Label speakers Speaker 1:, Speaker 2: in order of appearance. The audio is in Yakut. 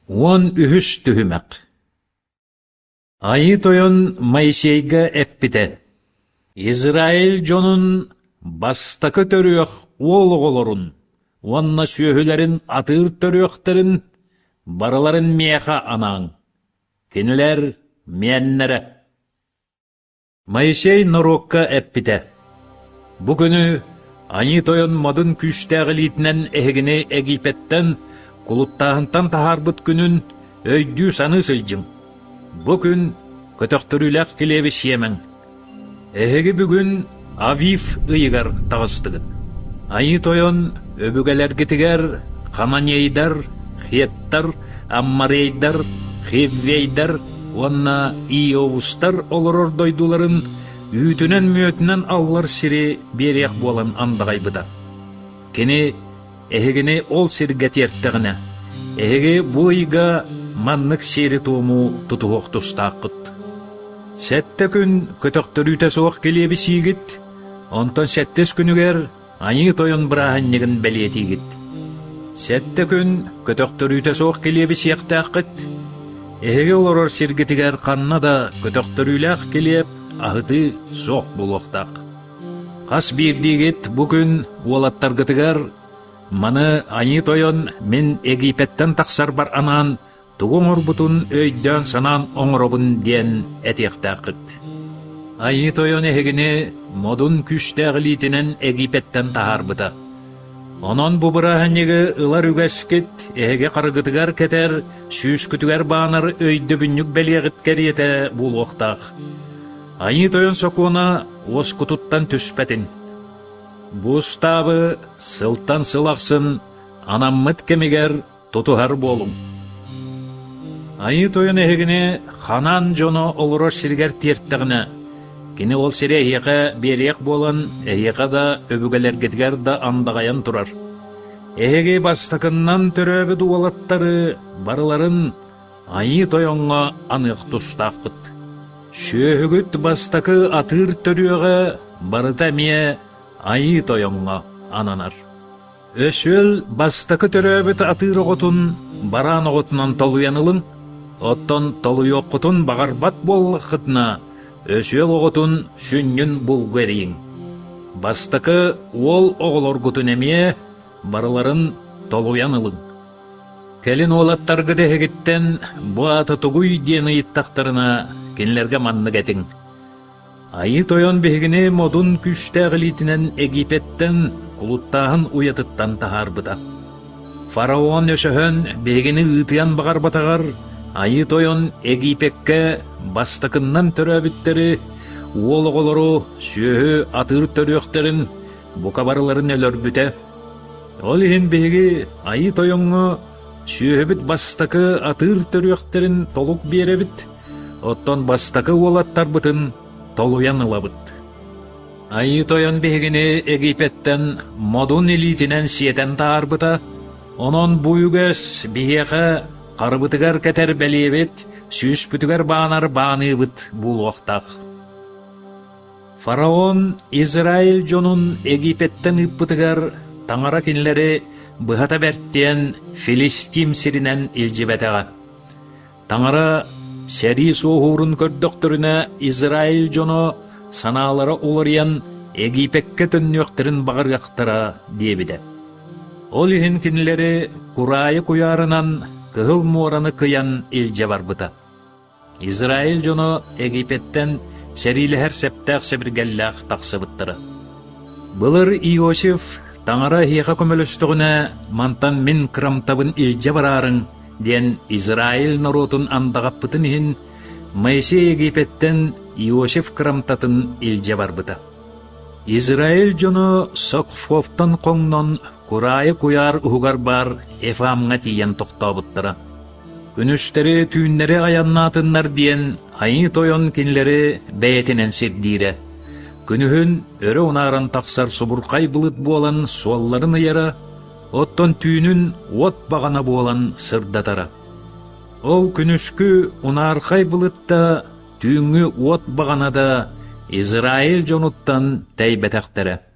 Speaker 1: Уон үһүс түһүмэх Айыы Тойон Моисейга эппитэ: «Израиль дьонун бастакы төрүөх уол оҕолорун уонна сүөһүлэрин атыыр төрүөхтэрин барыларын миэхэ анааҥ, кинилэр миэннэрэ». Моисей норуокка эппитэ: «Бу күнү Айыы Тойон модун күүстээх илиитинэн эһигини Египеттэн, кулуттааһынтан таһаарбыт күнүн өйдүү-саныы сылдьыҥ. Бу күн көтөхтөрүүлээх килиэби сиэмэҥ. Эһиги бүгүн Авив ыйыгар таҕыстыгыт. Айыы Тойон өбүгэлэргитигэр хананейдар, хеттар, аммарейдар, хеввейдар уонна иовустар олорор дойдуларын үүтүнэн-мүөтүнэн аллар сири биэриэх буолан андаҕайбыта. Кини эһигини ол сиргэ тиэртэҕинэ, эһиги бу ыйга маннык сиэри-туому тутуһуох тустааххыт. Сэттэ күн көтөхтөрүүтэ суох килиэби сиигит, онтон сэттис күнүгэр Айыы Тойон бырааһынньыгын бэлиэтиигит. Сэттэ күн көтөхтөрүүтэ суох килиэби сиэхтээххит. Эһиги олорор сиргитигэр ханна да көтөхтөрүүлээх килиэп аһытыы суох буолуохтаах. Хас биирдиигит бу күн уолаттаргытыгар маны Айыы Тойон мин Египеттэн тахсарбар анаан тугу оҥорбутун өйдөөн-санаан оҥоробун диэн этиэхтээххит. Айыы Тойон эһигини модун күүстээх илиитинэн Египеттэн таһаарбыта. Онон бу бырааһынньыгы ылар үгэскит эһиги харыгытыгар кэтэр, сүүскүтүгэр баанар өйдөбүнньүк бэлиэҕит кэриэтэ буолуохтаах. Айыы Тойон сокуона уоскутуттан түспэтин. Бу устаабы сылтан сыл ахсын анаммыт кэмигэр тутуһар буолуҥ. Айыы Тойон эһигини Ханаан дьоно олорор сиригэр тиэртэҕинэ, кини ол сири эһиэхэ биэриэх буолан, эһиэхэ да, өбүгэлэргитигэр да андаҕайан турар. Эһиги бастакыннан төрөөбүт уолаттары барыларын Айыы Тойоҥҥо аныах тустааххыт. Сүөһүгүт бастакы атыыр төрүөҕэ барыта эмиэ Айыы Тойоҥҥо ананар. Өсүөл бастакы төрөөбүт атыыр оҕотун бараан оҕотунан толуйан ылыҥ, оттон толуйуоххутун баҕарбат буоллаххытына, өсүөл оҕотун сүнньүн булгу эрийиҥ. Бастакы уол оҕолоргутун эмиэ барыларын толуйан ылыҥ. Кэлин уолаттаргыт эһигиттэн бу аата тугуй диэн ыйыттахтарына, кинилэргэ маннык этиҥ: Айыы Тойон биһигини модун күүстээх илиитинэн Египеттэн кулуттааһын уйатыттан таһаарбыта. Фараон өсөһөн биһигини ыытыан баҕарбатаҕар Айыы Тойон Египеккэ бастакыннан төрөөбүттэри, уол оҕолору, сүөһү атыыр төрүөхтэрин бука барыларын өлөрбүтэ. Ол иһин биһиги Айыы Тойоҥҥо сүөһүбүт бастакы атыыр төрүөхтэрин толук биэрэбит, оттон бастакы уолаттарбытын толуйан ылабыт. Айыы Тойон биһигини Египеттэн модун илиитинэн сиэтэн таһаарбыта, онон бу үгэс биһиэхэ харыбытыгар кэтэр бэлиэбит, сүүспүтүгэр баанар бааныыбыт буолуохтаах. Фараон Израиль дьонун Египеттэн ыыппытыгар Таҥара кинилэри быһата бэртиэн Филистим сиринэн илдьибэтэҕэ. Таҥара сэрии суоһуурун көрдөхтөрүнэ Израиль дьоно санаалара уларыйан Египеккэ төннүөхтэрин баҕарыахтара диэбитэ. Ол иһин кинилэри кураайы куйаарынан Кыһыл муораны кыйан илдьэ барбыта. Израиль дьоно Египеттэн сэриилэһэр сэптээх сэбиргэллээх тахсыбыттара. Былыр Иосиф Таҥара эһиэхэ көмөлөстөҕүнэ, мантан мин кырамтабын илдьэ бараарыҥ диэн Израиль норуотун андаҕаппытын иһин Моисей Египеттэн Иосиф кырамтатын илдьэ барбыта. Израиль дьоно Сокфофтан хоҥнон Кураайы куйаар уһугар баар Ефамҥа тиийэн тохтообуттара. Күнүстэри-түүннэри айаннаатыннар диэн Айыы Тойон кинилэри бэйэтинэн сирдиирэ. Күнүһүн өрө унааран тахсар субурхай былыт буолан суолларын ыйара, оттон түүнүн уот баҕана буолан сырдатара. Ол күнүскү унаархай былыт да, түүҥҥү уот баҕана да Израиль дьонуттан тэйбэтэхтэрэ.